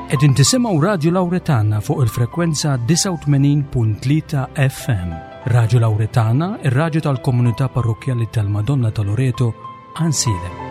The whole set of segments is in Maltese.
Qegħdin tisimgħu Radju Lawretana fuq il-frekwenza 89.3 FM. Radju Lawretana, ir-radju tal-komunità parrokkjali tal-Madonna ta' Loreto, Ansilem.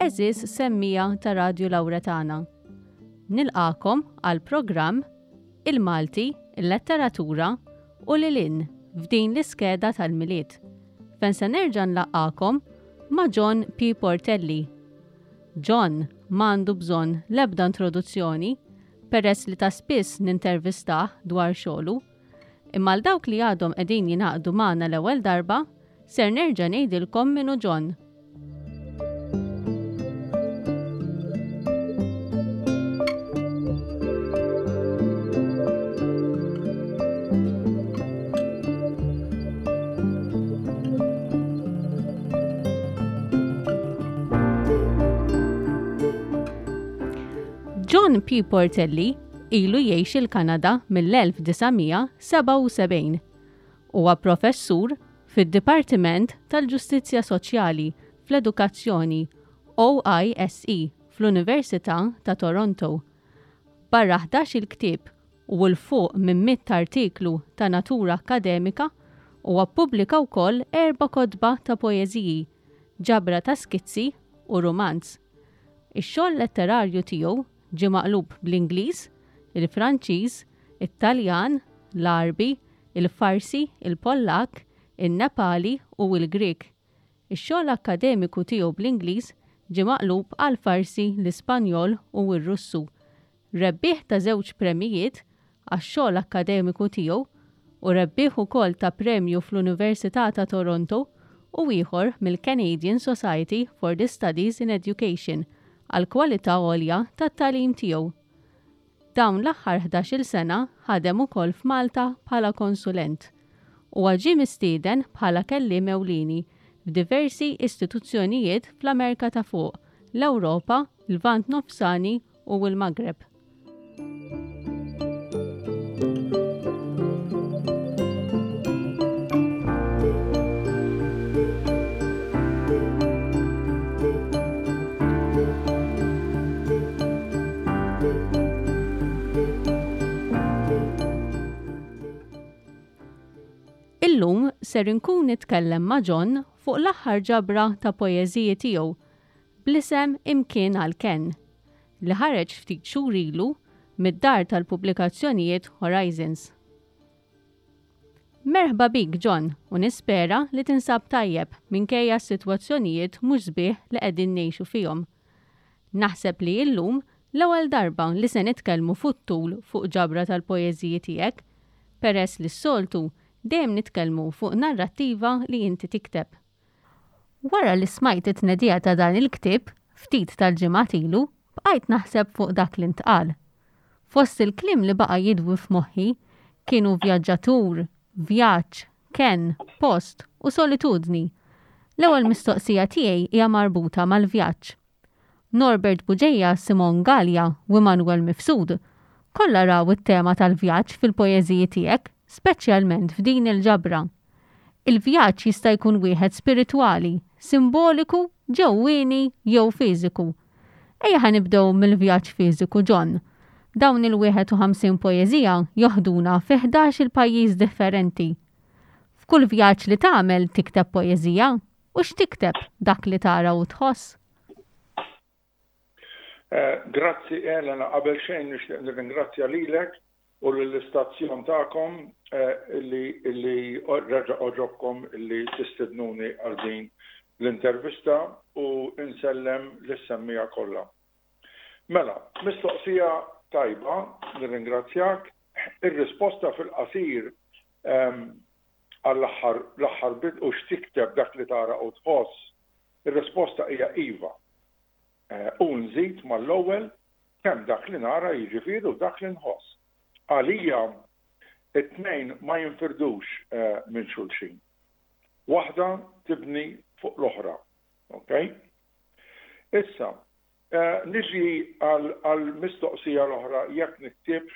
Eżis semmija ta' Radju Lawretana. Nilqakom għal programm Il-Malti, il-Letteratura u lil f'din l-iskeda tal-Milied. Fejn se nerġa' nlaqqakom ma' John P. Portelli. John m'għandu bżonn l-ebda introduzzjoni peress li ta' spiss nintervistah dwar xogħlu. Imma għal dawk li għadhom qegħdin jingħaqdu magħna l-ewwel darba, ser nerġa' ngħidilkom min hu John. John P. Portelli ilu jgħix il-Kanada mill-1977. Huwa professur fid-Dipartiment tal-Ġustizzja Soċjali fl-Edukazzjoni, OISE, fl-Università ta' Toronto. Barra ħdax-il ktieb u 'l fuq minn mitt artiklu ta' natura akkademika, huwa ppubblika wkoll erba' kotba ta' poeżiji, ġabra ta' skizzi u rumanz. Ix-xogħol letterarju tiegħu ġie maqlub bl-Ingliż, il-Franċiż, it-Taljan, l-Għarbi, il-Farsi, il-Pollakk, in-Nepali u l-Grieg. Ix-xogħol akkademiku tiegħu bl-Ingliż ġie maqlub għall-Farsi, l-Ispanjol u r-Russu. Rebbieħ ta' żewġ premjijiet għax-xogħol akkademiku tiegħu u rebbieħ ukoll ta' premju fl-Università ta' Toronto u ieħor mill-Canadian Society for the Studies in Education għall-kwalità għolja tat-tagħlim tiegħu. Dawn l-aħħar ħdax-il sena ħadem ukoll f'Malta bħala konsulent. Huwa ġie mistieden bħala kelliem ewlieni f'diversi istituzzjonijiet fl-Amerika ta' Fuq, l-Ewropa, Lvant Nofsani u l-Maghreb. Illum ser inkun nitkellem ma' John fuq l-aħħar ġabra ta' poeżiji tiegħu bl-isem Imkien għall-Kenn, li ħareġ ftit xhur ilu mid-dar tal-pubblikazzjonijiet Horizons. Merħba bik John u nispera li tinsab tajjeb minkejja s-sitwazzjonijiet mhux sbieħ li qegħdin ngħixu fihom. Naħseb li illum l-ewwel darba li se nitkellmu fut-tul fuq ġabra tal-poeżiji tiegħek, peress li s-soltu dejjem nitkellmu fuq narrattiva li inti tikteb. Wara li smajt it-tnedija ta' dan il-ktieb, ftit tal-ġimgħat ilu, bqajt naħseb fuq dak li ntqal. Fost il-kliem li baqa' jidwi f'moħħi kienu vjaġġatur, vjaġġ, kenn, post u solitudni. L-ewwel mistoqsija tiegħi hija marbuta mal-vjaġġ. Norbert Bugeja, Simon Galea u Immanuel Mifsud kollha raw it-tema tal-vjaġġ fil-poeżiji tiegħek, speċjalment f'din il-ġabra. Il-vjaġġ jista' jkun wieħed spiritwali, simboliku, ġewwieni jew fiżiku. Ejja ħa nibdew mill-vjaġġ fiżiku John. Dawn il-51 poeżija joħduna fi ħdax-il pajjiż differenti. F'kull vjaġġ li tagħmel tikteb poeżija? U x'tikteb, dak li tara u tħoss? Grazzi Elena, qabel xejn nixtieq nirringrazzja lilek u lill-istazzjon tagħkom illi illi reġa' għoġobkom illi tistidnuni għal din l-intervista u nsellem lis-semmiegħa kollha. Mela, mistoqsija tajba, nirringrazzjak. Ir-risposta fil-qasir. għall-aħħar l-aħħar bit u x'tikteb dak li tara u tħoss, ir-risposta hija iva. U nżid mal-ewwel kemm dak li nara jiġifieri u dak li nħoss. Għalija it-tnejn ma jinfirdux minn xulxin. Waħda tibni fuq l-oħra. Okay? Issa, niġi għall-mistoqsija l-oħra jekk niktibx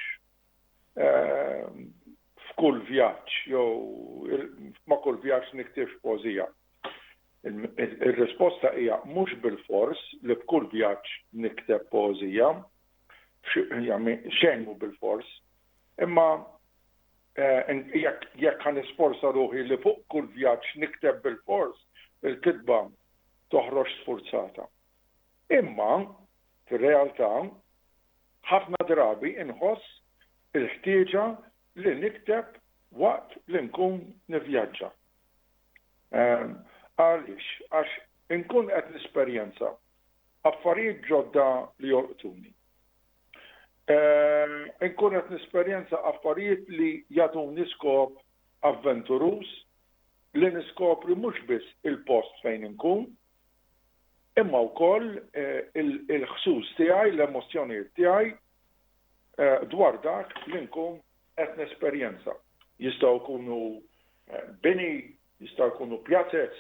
f'kull vjaġġ jew ma' kull vjaġġ niktibx poeżija. Ir-risposta hija mhux bilfors li f'kull vjaġġ nikteb poeżija, xejn mhu bilfors, imma jekk ħa nisforza ruħi li fuq kull vjaġġ nikteb bilfors, il-kitba toħroġ sfurzata. Imma, fir-realtà, ħafna drabi inħoss il-ħtieġa li nikteb waqt li nkun nivvjaġġa. Għaliex? Għax inkun qed nesperjenza affarijiet ġodda li jolqtuni. Inkun qed nesperjenza affarijiet li jagħtuni skop avventuruż li niskopri mhux biss il-post fejn inkun, imma wkoll il-ħsus tiegħi, l-emozzjonijiet tiegħi dwar dak li nkun qed nesperjenza. Jistgħu jkunu bini, jistgħu jkunu pjazez,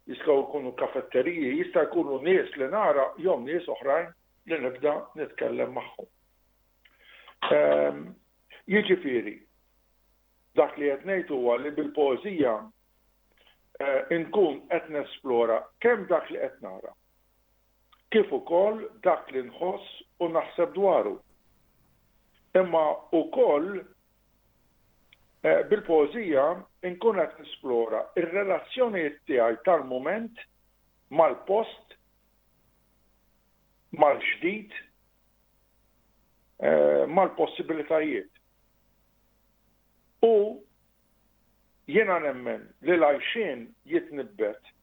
jistgħu jkunu kafetteriji, jista' jkunu nies li nara jew nies oħrajn li nibda nitkellem magħhom. Jiġifieri, dak li qed ngħid huwa li bil-poeżija nkun qed nesplora kemm dak li qed nara, kif ukoll dak li nħoss u naħseb dwaru. Imma wkoll bil-poeżija nkun qed nesplora r-relazzjonijiet tiegħi tal-mument mal-post, mal-ġdid, mal-possibilitajiet. U jiena nemmen li l-għajxien jitnibbet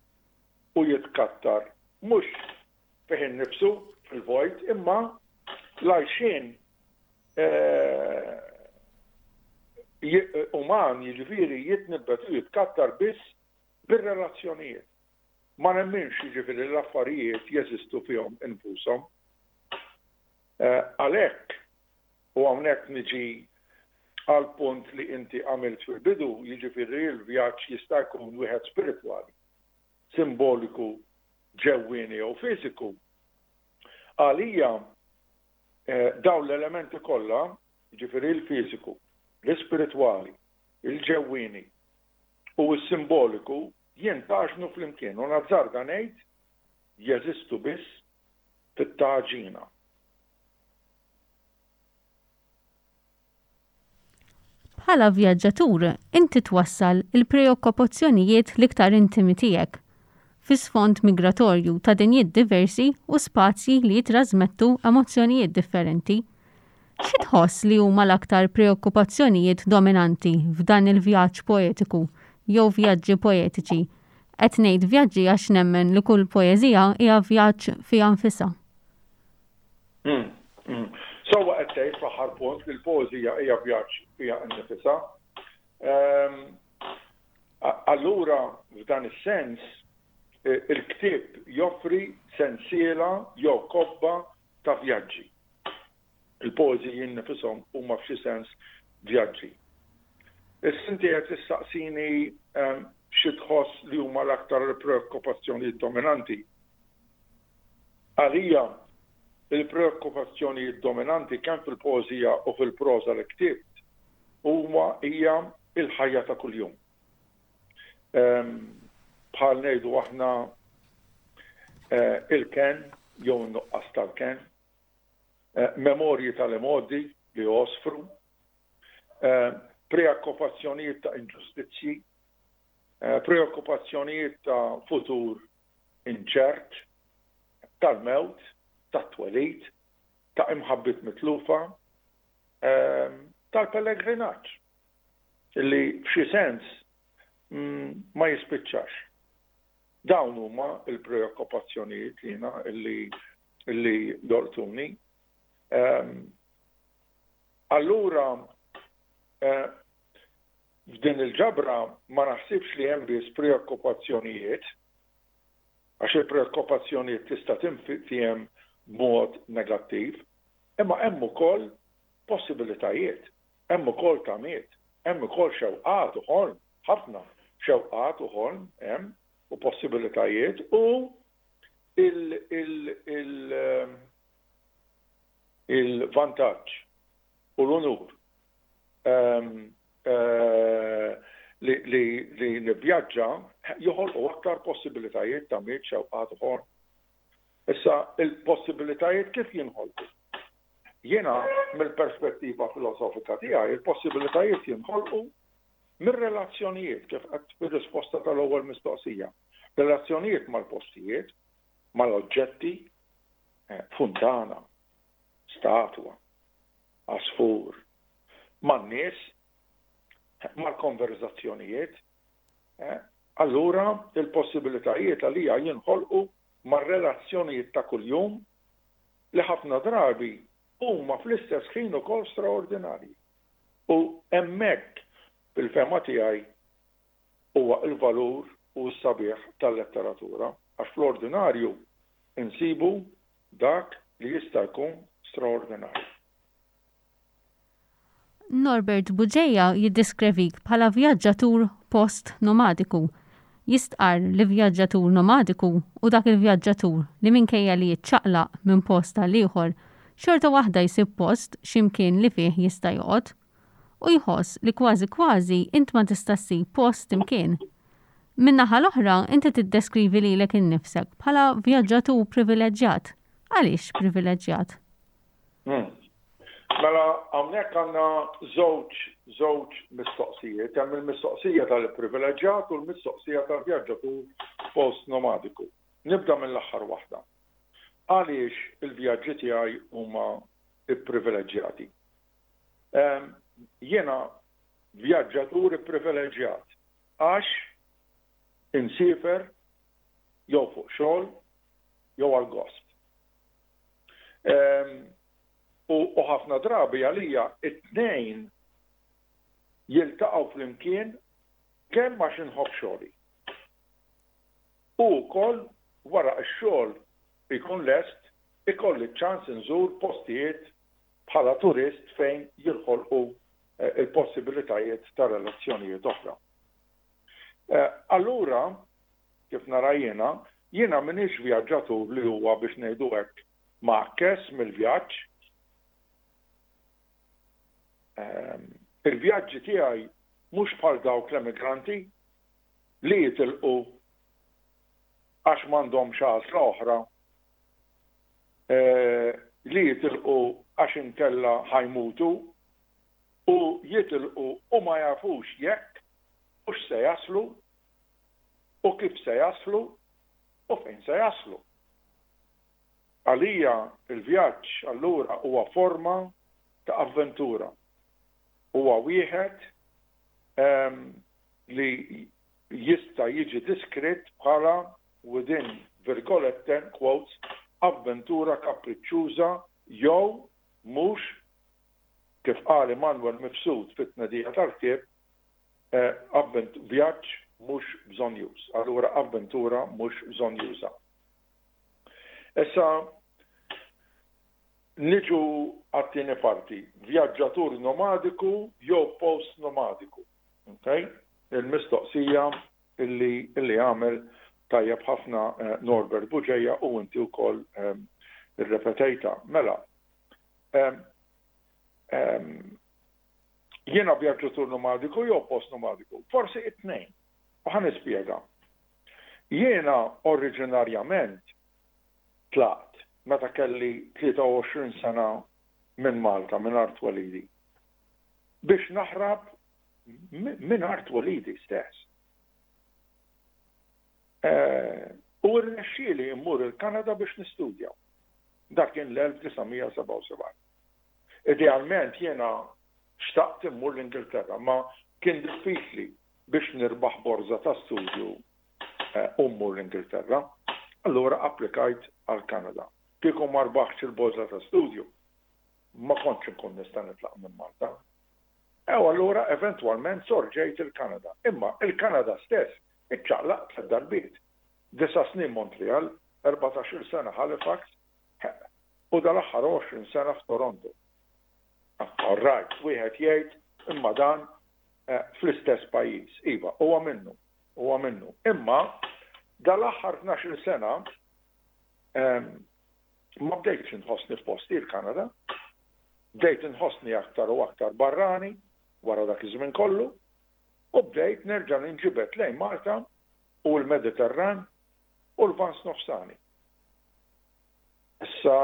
u jitkattar mhux fih innifsu, fil-vojt, imma l-għajxien uman jiġifieri jitnibbet u jitkattar biss bir-relazzjonijiet. Ma nemminx jiġifieri li l-affarijiet jeżistu fihom infushom. Għalhekk, u hawnhekk niġi għall-punt li inti għamilt fil-bidu, jiġifieri li l-vjaġġ jista' jkun wieħed spiritwali, simboliku, ġewwieni jew fiżiku. Għalija dawn l-elementi kollha, jiġifieri l-fiżiku, l-ispiritwali, il-ġewwieni u s-simboliku jintgħaġnu flimkien u nazzarda ngħid jeżistu biss fit-tgħaġina. Bħala vjaġġatur, inti twassal il-preokkupazzjonijiet l-iktar intimi tiegħek, fi sfond migratorju ta' dinjiet diversi u spazji li jittrażmettu emozzjonijiet differenti. Xi tħoss li huma l-aktar preokkupazzjonijiet dominanti f'dan il-vjaġġ poetiku jew vjaġġi poetiċi? Qed ngħid vjaġġi għax nemmen li kull poeżija hija vjaġġ fiha nfisha. Sewwa qed tgħid fl-aħħar punt li l-poeżija hija vjaġġ fiha nnifisha. Ehm, allura f'dan is-sens il-ktieb joffri sensiela jew kobba ta' vjaġġi. Il-poeżiji nnifishom huma f'xi sens vjaġġi. Issa inti qed tistaqsini ehm, xi tħoss li huma l-aktar preokkupazzjonijiet dominanti. Għalija, il-preokkupazzjonijiet dominanti kemm fil-poeżija u fil-proża li ktibt huma hija l-ħajja ta' kuljum. Bħal ngħidu aħna il-kenn jew in-nuqqas tal-kenn, memorji tal-imgħoddi li jgħosfru, preokkupazzjonijiet ta' inġustizzji, preokkupazzjonijiet ta' futur inċert, tal-mewt, tat-twelid, ta' imħabbiet mitlufa, tal-pellegrinaġġ li f'xi sens ma jispiċċax. Dawn huma l-preokkupazzjonijiet li jiena li jolqtuni. Allura. F'din il-ġabra ma naħsibx li hemm biss preokkupazzjonijiet, għax il-preokkupazzjonijiet tista' tinftiehem b'mod negattiv, imma hemm ukoll possibilitajiet, hemm ukoll tamiet, hemm ukoll xewqat u ħolm, ħafna xewqat u ħolm hemm u possibilitajiet u il-vantaġġ u l-unur li nivvjaġġa joħolqu aktar possibilitajiet ta' miet xewqat u ħolm. Issa, il-possibilitajiet kif jinħolqu? Jiena, mill-perspettiva filosofika tiegħi, il-possibilitajiet jinħolqu mir-relazzjonijiet, kif għedt fir-risposta tal-ewwel mistoqsija. Relazzjonijiet mal-postijiet, mal-oġġetti, funtana, statwa, għasfur, man-nies, mal-konverżazzjonijiet. Allura, il-possibilitajiet għalija jinħolqu mar-relazzjonijiet ta' kuljum li ħafna drabi huma fl-istess ħin ukoll straordinarji. U hemmhekk, fil-fehma tiegħi, huwa l-valur u s-sabiħ tal-letteratura, għax fl-ordinarju nsibu dak li jista' jkun straordinarju. Norbert Bugeja jiddiskrevik bħala vjaġġatur post-nomadiku. Jistqarr li vjaġġatur nomadiku hu dak il-vjaġġatur li minkejja li jiċċaqlaq minn post għal ieħor, xorta waħda jsib post xi mkien li fih jista' joqgħod. U jħoss li kważi kważi int ma tista' ssib post imkien. Min-naħa l-oħra inti tiddeskrivi lilek innifsek bħala vjaġġatur privileġġjat. Għaliex privileġġjat? Mela hawnhekk għandna żewġ żewġ mistoqsijiet, hemm il-mistoqsija tal-ipprivileġġjat u l-mistoqsija tal-vjaġġatur post-nomadiku. Nibda mill-aħħar waħda. Għaliex il-vjaġġi tiegħi huma pprivileġġjati? Ehm, jiena vjaġġatur ipprivileġġjat għax insiefer jew fuq xogħol jew għal gost. Ehm, u ħafna drabi għalija it-tnejn jiltaqgħu flimkien kemm għax inħobb xogħli. U wkoll wara x-xogħol ikun lest ikolli ċ-ċans inżur postijiet bħala turist fejn jinħolqu eh, il-possibilitajiet ta' relazzjonijiet oħra. Eh, allura, kif nara jiena, jiena m'iniex vjaġġatur li huwa biex ngħidu hekk mgħakkes mill-vjaġġ. Ehm, il-vjaġġi tiegħi mhux bħal dawk l-emigranti li jitilqu għax m'għandhomx għażla oħra eh, li jitilqu għax inkella ħajmutu u jitilqu u ma jafux jekk hux se jaslu u kif se jaslu u fejn se jaslu. Għalija l-vjaġġ allura huwa forma ta' avventura. Huwa wieħed ehm, li jista' jiġi diskritt bħala within virgolette quotes avventura kapriċċuża jew mhux kif qal Immanuel Mifsud fit-tnedija tal-ktieb Vjaġġ mhux bżonnjuż, allura avventura mhux bżonnjuża. Issa niġu għat-tieni parti, vjaġġatur nomadiku jew post-nomadiku. Okay? Il-mistoqsija illi, illi għamel tajjeb ħafna eh, Norbert Buġeja u inti wkoll eh, irrepetejta. Mela, eh, Jiena vjaġġatur nomadiku jew post-nomadiku? Forsi it-tnejn. U ħa nispjega. Jiena oriġinarjament tlaqt meta kelli 23 sena minn Malta, minn art twelidi, biex naħrab minn art twelidi stess. Eh, u rnexxieli mmur il-Kanada biex nistudja. Dak kien l-1977. Idealment jiena xtaqt immur l-Ingilterra, ma kien diffiċli biex nirbaħ borża ta' studju eh, u mmur l-Ingilterra. Allura applikajt għall-Kanada. Kieku ma rbaħtx il-borża ta' studju, ma kontx inkun nista' nitlaq minn Malta. U allura eventwalment sorġejt il-Kanada. Imma il-Kanada stess iċċaqlaqt tliet darbiet. Disa' snin Montreal, 14-il sena Halifax, u dal-aħħar 20 sena f'Toronto. All right, wieħed jgħid imma dan fl-istess pajjiż. Iva, huwa minnu, huwa minnu. Imma dal-aħħar 12-il sena ma bdejtx inħossni f'posti l-Kanada. Bdejt inħossni aktar u aktar barrani wara dak iż-żmien kollu u bdejt nerġa' ninġibed lejn Malta u l-Mediterran u l-Lvant Nofsani. Issa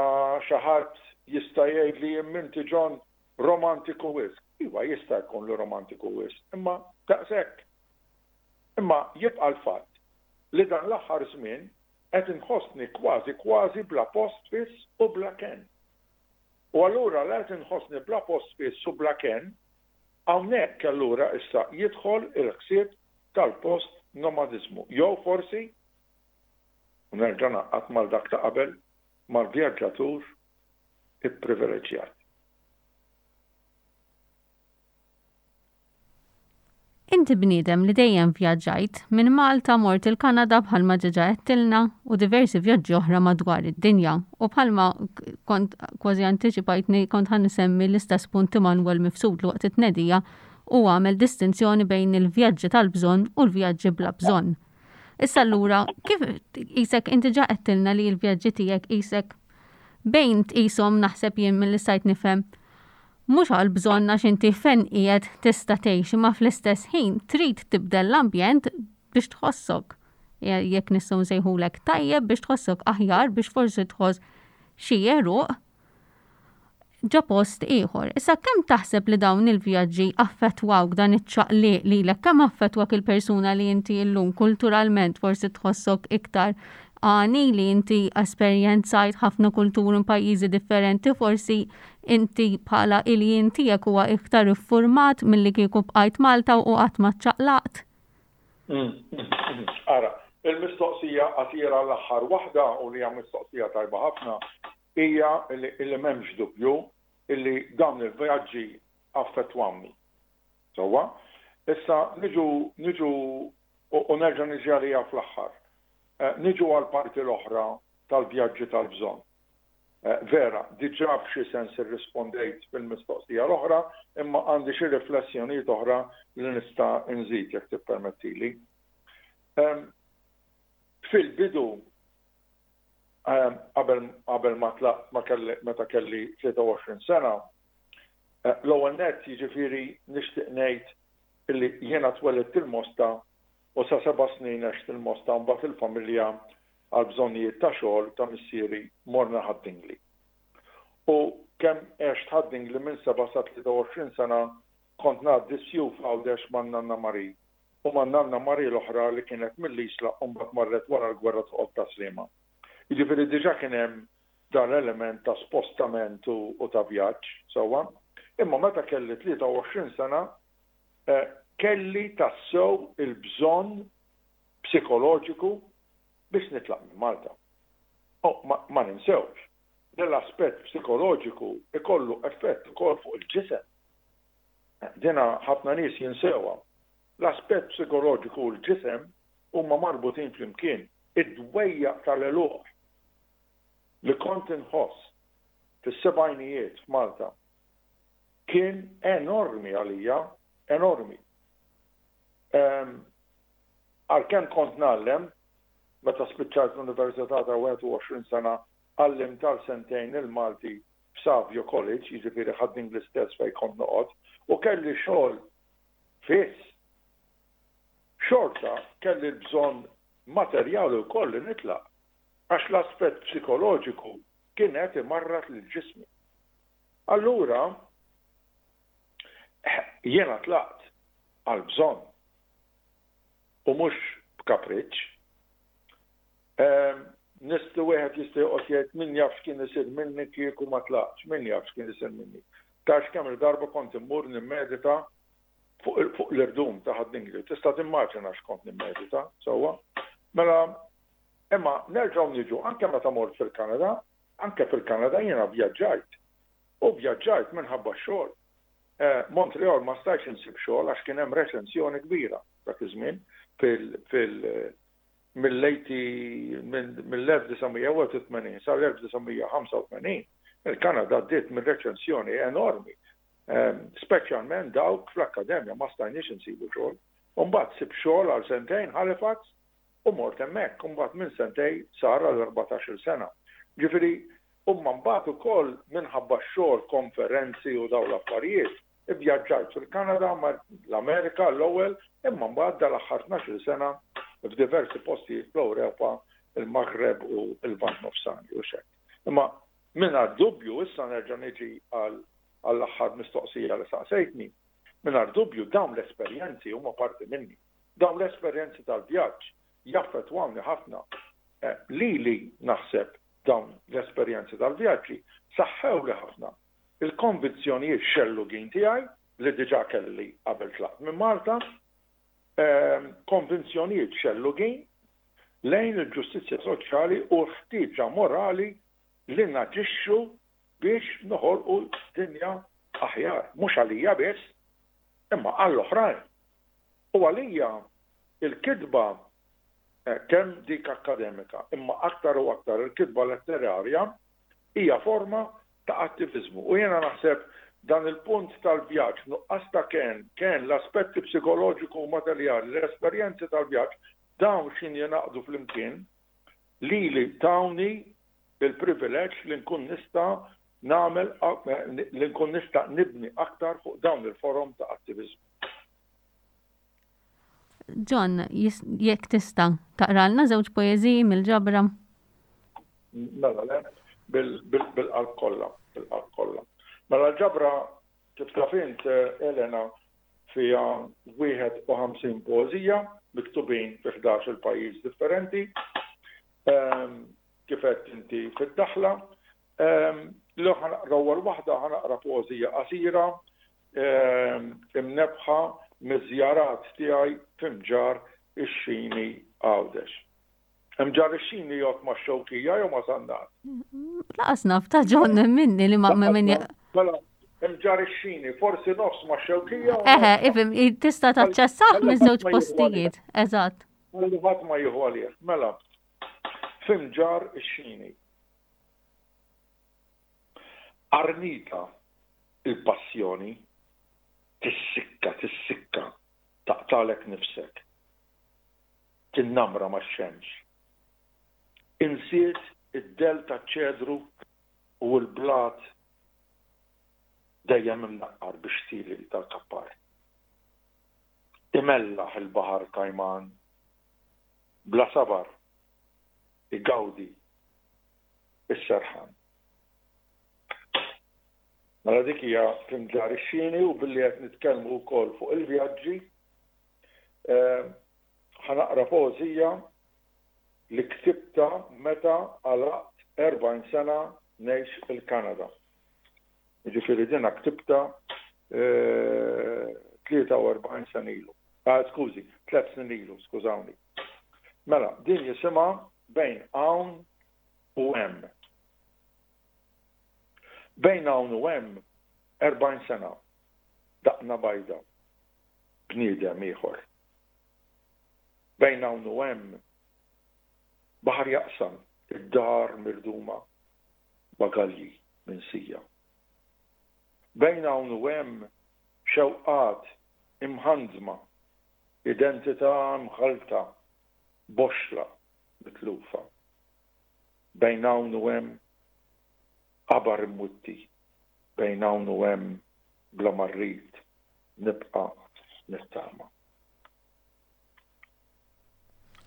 xi ħadd jista' jgħidli imma inti John romantiku wisq. Iva jista' jkun li romantiku wisq, imma daqshekk. Imma jibqa' l-fatt li dan l-aħħar żmien qed inħossni kważi kważi bla post fiss u bla kenn. U allura la qed inħossni bla post fiss u bla kenn, hawnhekk allura issa jidħol il-ħsieb tal-post nomadiżmu jew forsi, u nerġa' ngħaqqad mal dak ta' qabel, mal-vjaġġatur ipprivileġġjat. Inti bniedem li dejjem vjaġġajt, minn Malta mort il-Kanada bħalma ġeġa għedtilna u diversi vjaġġi oħra madwar id-dinja. U bħalma kont kważi antiċipajtni kont ħa nsemmi l-istess punt Immanuel Mifsud li waqt it-tnedija u għamel distinzjoni bejn il-vjaġġi tal-bżonn u l-vjaġġi bla bżonn. Issa allura, kif qisek inti ġa għedtilna li l-vjaġġi tiegħek qisek bejn tqishom naħseb jien milli stajt nifhem mhux għal bżonn għax inti fejn qiegħed tista' tgħix imma fl-istess ħin trid tibdel l-ambjent biex tħossok jekk nistgħu nsejħulek tajjeb biex tħossok aħjar biex forsi tħoss xi għeruq ġo post ieħor. Issa kemm taħseb li dawn il-vjaġġi affettwawk dan iċ-ċaqliq lilek, kemm affettwak il-persuna li inti llum kulturalment forsi tħossok iktar għani li inti esperjenzajt ħafna kulturi minn pajjiżi differenti, forsi inti bħala il-jien tiegħek huwa iktar iffurmat milli kieku bqajt Malta u qatt ma ċċaqlaqt? Ara, il-mistoqsija qasira l-aħħar waħda u li hija mistoqsija tajba ħafna hija li m'hemmx dubju illi dawn il-vjaġġi affettwawni. Sewwa? Issa niġu niġu u nerġa' niġi għaliha fl-aħħar. Niġu għall-parti l-oħra tal-vjaġġi tal-bżonn. Vera, diġà f'xi sens irrispondejt fil-mistoqsija l-oħra, imma għandi xi riflessjonijiet oħra li nista' nżid jekk tippermettili. Fil-bidu, qabel qabel ma tlaqt ma kelli meta kelli 23 sena, l-ewwel nett jiġifieri nixtieq ngħid illi jiena twelidt il-Mosta u sa seba' snin għext il-Mosta mbagħad il-familja għal bżonnijiet ta' xogħol ta' missieri morna Ħad-Dingli. U kemm għext Ħad-Dingli minn seba' sa 23 sena kont ngħaddi s-sjuf Għawdex man-nanna Marie u man-nanna Marie l-oħra li kienet mill-Isla u mbagħad marret wara l-gwerra toqgħod Tas-Sliema. Jiġifieri diġà kien hemm dan l-element ta' spostament u ta' vjaġġ, sewwa. Imma meta kelli 23 sena kelli tassew il-bżonn psikoloġiku biex nitlaq minn Malta. U ma ninsewx li l-aspett psikoloġiku jkollu effett ukoll fuq il-ġisem. Dina ħafna nies jinsewha. L-aspett psikoloġiku u l-ġisem huma marbutin flimkien. Id-dwejjaq tal-għeluq li kont inħoss fis-sebgħinijiet f'Malta kien enormi għalija, enormi. Għalkemm kont ngħallem, meta spiċċajt l-Università ta' 21 sena għallimt għal sentejn il-Malti f'Savio College, jiġifieri Ħad-Dingli stess fejn kont noqgħod, u kelli xogħol fiss, xorta kelli l-bżonn materjali wkoll li nitlaq, għax l-aspett psikoloġiku kien qed imarrad lil ġismi. Allura, jiena tlaqt għal bżonn u mhux b'kapriċċ. Nisti wieħed jista' joqgħod jgħid min jaf x'kien isir minni kieku ma tlaqtx, min jaf x'kien isir minni. Tafx kemm il-darba kont immur nimmedita fuq l-irdum ta' Ħad-Dingli. Tista' timmaġina x'kont nimmedita, sewwa. Mela, imma nerġgħu niġu anke meta mort fil-Kanada, anke fil-Kanada jiena vjaġġajt. U vjaġġajt minħabba x-xogħol. Montreal ma stajtx insib xogħol għax kien hemm reċensjoni kbira dak iż-żmien fil fil mill-1981 sal-1985 il-Kanada għaddiet minn reċensjoni enormi, speċjalment dawk fl-akkademja ma stajniex insibu xogħol. U mbagħad sibt xogħol għal sentejn Halifax u mort hemmhekk, u mbagħad minn sentejn sar għal 14-il sena. Ġifieri Imma mbagħad ukoll minħabba x-xogħol, konferenzi u dawn l-affarijiet, ivvjaġġajt fil-Kanada, l-Amerika l-ewwel, imma mbagħad dal-aħħar tnax-il sena f'diversi postijiet fl-Ewropa, il-Maghreb u l-Lvant Nofsani u x'hekk. Imma mingħajr dubju, issa nerġa' niġi għall-aħħar mistoqsija li saqsejtni, mingħajr dubju dawn l-esperjenzi huma parti minni. Dawn l-esperjenzi tal-vjaġġ jaffettwawni ħafna. Lili naħseb Dawn l-esperjenzi tal-vjaġġi saħħewli ħafna l-konvinzjonijiet xellugin tiegħi li diġà kelli qabel tlaqt minn Malta, konvinzjonijiet xellugin lejn il-ġustizzja soċjali u l-ħtieġa morali li naġixxu biex noħolqu dinja aħjar, mhux għalija biss, imma għall-oħrajn. U għalija l-kitba kemm dik akkademika, imma aktar u aktar il-kitba letterarja hija forma ta' attiviżmu. U jiena naħseb dan il-punt tal-vjaġġ, nuqqas ta' kenn, kenn, l-aspetti psikoloġiku u materjali, l-esperjenzi tal-vjaġġ, dawn x'ħin jingħaqdu flimkien, lili tawni l-privileġġ li nkun nista' nagħmel, li nkun nista' nibni aktar fuq dawn il-forom ta' attiviżmu. John, jekk tista' taqralna żewġ poeżiji mill-ġabra. Mela le, bil-qalb kollha, bil-qalb kollha. Mela l-ġabra kif taf int Elena fiha 51 poeżija miktubin fi 11 il-pajjiż differenti. Ehm, kif għedt inti fid-daħla. Ehm, li ħanaqra ewwel waħda ħanaqra poeżija qasira imnebbħa miż-żjarat tiegħi f'Imġarr ix-Xini Għawdex. Imġarr ix-Xini jgħodd max-Xewkija jew ma' Sannat? Laqas naf ta' John minni li ma' minni. Mela, Imġarr ix-Xini, forsi nofs max-Xewkija. Eħe, ifhem, tista' taċċessah miż-żewġ postijiet, eżatt. Ħalli ħadd ma jieħu għalih. Mela, f'Imġarr ix-Xini. Arnita il-passjoni tissikka, tissikka, taqtagħlek nifsek. Tinnamra max-xemx. Insiet id-dell taċ-ċedru u l-blat dejjem imnaqqar bix-xtieli tal-kappar. Imellaħ il-baħar kajman. Bla sabar igawdi s-serħan. Mela dik hija f'Imġarr ix-Xini u billi qed nitkellmu wkoll fuq il-vjaġġi, eh, ħa naqra poeżija li ktibta meta għalaqt 40 sena ngħix il-Kanada. Jiġifieri dina ktibta 43 eh, sena ilu. Ah, skużi, 3 snin ilu, skużawni. Mela, din jisimha bejn hawn u hemm. Bejn hawn u hemm 40 sena, daqna bajda, bniedem ieħor. Bejn hawn u hemm baħar jaqsam id-dar mirduma, bagalji minsija. Bejn hawn u hemm xewqat imħanżma, identità mħallta, boxxla mitlufa. Bejn hawn u hemm qabar imwitti, bejn hawn u hemm bla ma rrid nibqa' nittama.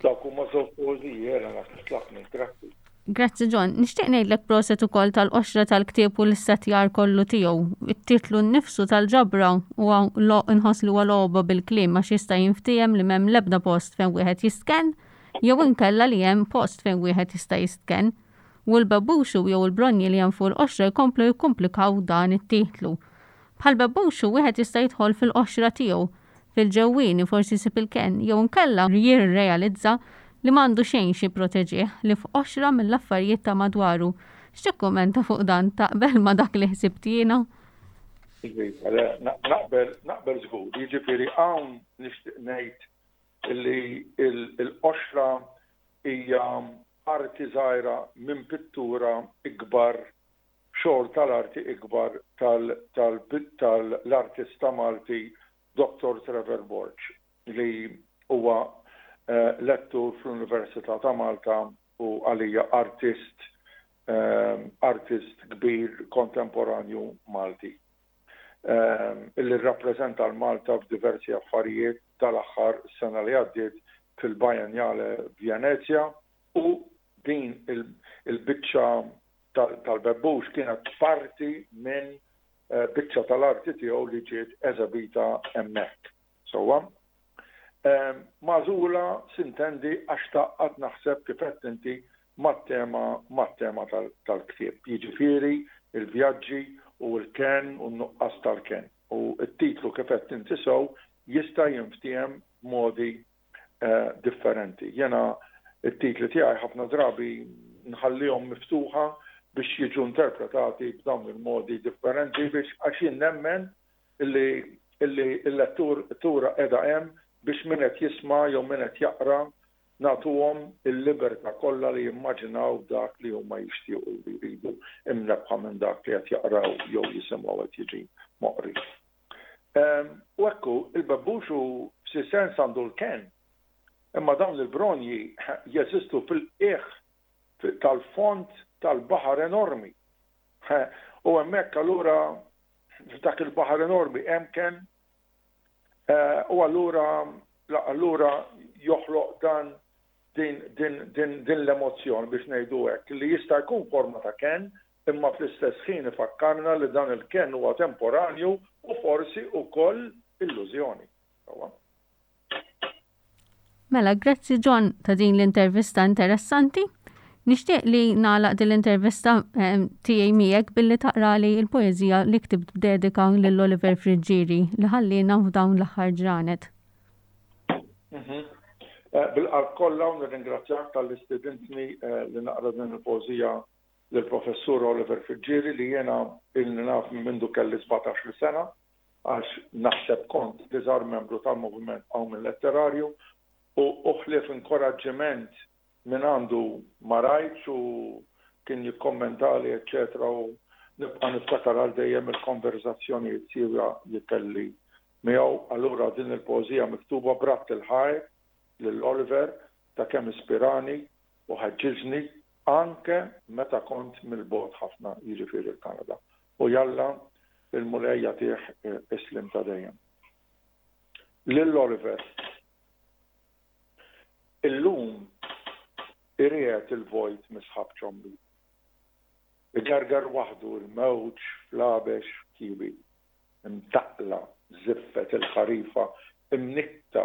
Dawk huma żewġ poeżiji, Elena, kif tlaqni, grazzi. Grazzi John. Nixtieq ngħidlek proset ukoll tal-qoxra tal-ktieb u l-issettjar kollu tiegħu. It-titlu nnifsu tal-ġabra huwa inħoss li huwa logħba bil-kliem għax jista' jinftiehem li m'hemm l-ebda post fejn wieħed jistkenn jew inkella li hemm post fejn wieħed jista' jistkenn. U l-bebbuxu jew il-bronji li hemm fuq il-qoxra jkomplu jikkumplikaw dan it-titlu. Bħal bebbuxu wieħed jista' jidħol fil-qoxra tiegħu, fil-ġewwieni forsi jsib il-kenn jew inkella jirrealizza li m'għandu xejn x'jipproteġih ħlief qoxra mill-affarijiet ta' madwaru. X'tikkummenta fuq dan? Taqbel ma' dak li ħsibt jiena? Iva, le, naqbel, naqbel żgur. Jiġifieri hawn nixtieq ngħid li l-qoxra hija parti żgħira minn pittura ikbar, xogħol tal-arti ikbar tal-artista Malti Dottor Trevor Borg li huwa lettur fl-Università ta' Malta u għalija artist artist kbir kontemporanju Malti illi rrappreżenta l-Malta f'diversi affarijiet tal-aħħar sena li għaddiet fil-Biennale f'Venezja u din il-biċċa tal-bebbux kienet parti minn biċċa tal-arti tiegħu li ġiet eżebita hemmhekk. Sewwa? Magħżula sintendi għax tgħaqqad naħseb kif għedt inti mat-tema mat-tema tal-ktieb, jiġifieri l-vjaġġi u l-kenn u n-nuqqas tal-kenn. U t-titlu kif għedt inti sew jista' jinftiehem b'modi differenti. Jiena t-titli tiegħi ħafna drabi nħallihom miftuħa biex jiġu interpretati b'dawn il-modi differenti biex għax jien nemmen illi illi l-lettur tura qiegħda hemm biex min qed jisma' jew min qed jaqra nagħtuhom il-libertà kollha li jimmaġinaw dak li huma jixtiequ li jridu imnebbħa minn dak li qed jaqraw jew jisimgħu qed jiġi moqri. U hekk hu, il-bebbux hu f'xi sens għandu l-kenn, imma dawn il-bronji jeżistu fil-qiegħ tal-fond tal-baħar enormi. U hemmhekk allura f'dak il-baħar enormi hemm kenn u allura allura joħloq dan din din din din l-emozzjoni biex ngħidu hekk li jista' jkun forma ta' kenn imma fl-istess ħin ifakkarna li dan il-kenn huwa temporanju u forsi wkoll illużjoni. Sewwa? Mela, grazzi John ta' din l-intervista interessanti. Nixtieq li nagħlaq din l-intervista ehm, tiegħi miegħek billi taqrali l-poeżija li ktibt b'dedika lil Oliver Friggieri li ħallina f'dawn l-aħħar ġranet. Mhm. Eh, bil-qalb kollha u nirringrazzjak tal-li stidintni eh, li naqra din il-poeżija lill-Professur Oliver Friggieri li jiena ilni naf minn mindu kelli 17-il sena għax naħseb kont l-iżgħar membru tal-Moviment Qawmien Letterarju u u ħlief inkoraġġiment minn għandu ma rajtx u kien jikkommentali eċċetera u nibqa' niftakar għal dejjem il-konverżazzjonijiet siewja li kelli miegħu. Allura din il-poeżija miktuba b'radd il-ħajr lil Oliver ta' kemm ispirani u ħeġġiġni anke meta kont mill-bogħod ħafna, jiġifieri l-Kanada. U jalla l-Mulej jagħtih is-sliem ta' dejjem. Lil Oliver. Illum iriegħed il-vojt mis-sħab ċombi. Igerger waħdu l-mewġ fl-għabex kiebi. Imtaqqla żiffet il-ħarifa imnikkta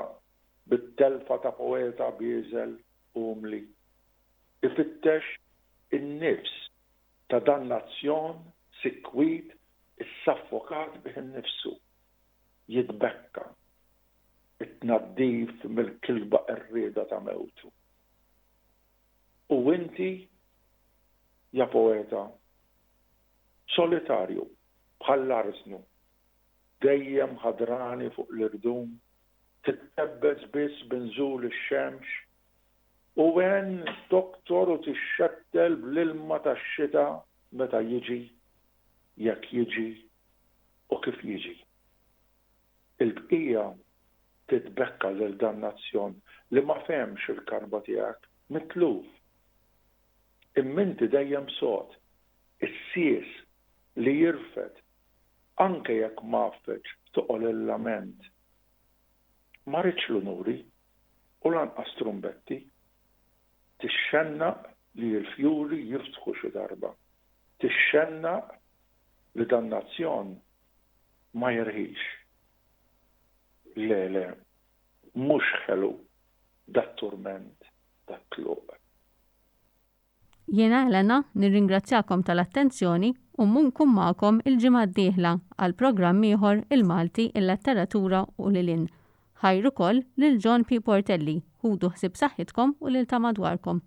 bit-telfa ta' poeta bieżel umli. Ifittex in-nifs ta' dan-nazzjon sikwit issaffokat bih innifsu. Jitbekka it-tnaddif mill-kilba qerrieda ta' mewtu. U inti, ja poeta, solitarju bħall-arżnu, dejjem ħadrani fuq l-irdum, tittebbes biss b'inżul ix-xemx, u għen toktor u tixxettel bl-ilma tax-xita meta jiġi, jekk jiġi u kif jiġi. Il-bqija titbekka lil dan-nazzjon li ma fehmx il-karba tiegħek, mitluf. Imma inti dejjem sod, is-sies li jirfed anke jekk mgħaffeġ toqol il-lament. Ma ridtx l-unuri u lanqas trumbetti. Tixxennaq li l-fjuri jiftħu xi darba. Tixxennaq li dan-nazzjon ma jirħix. Le, le, mhux ħelu dat-turment, dat-tluq. Jiena Elena nirringrazzjakom tal-attenzjoni u nkun magħkom il-ġimgħa d-dieħla għal programm ieħor Il-Malti, il-Letteratura u lil hinn. Ħajr ukoll lil John P. Portelli, ħudu ħsieb saħħitkom u lil ta' madwarkom.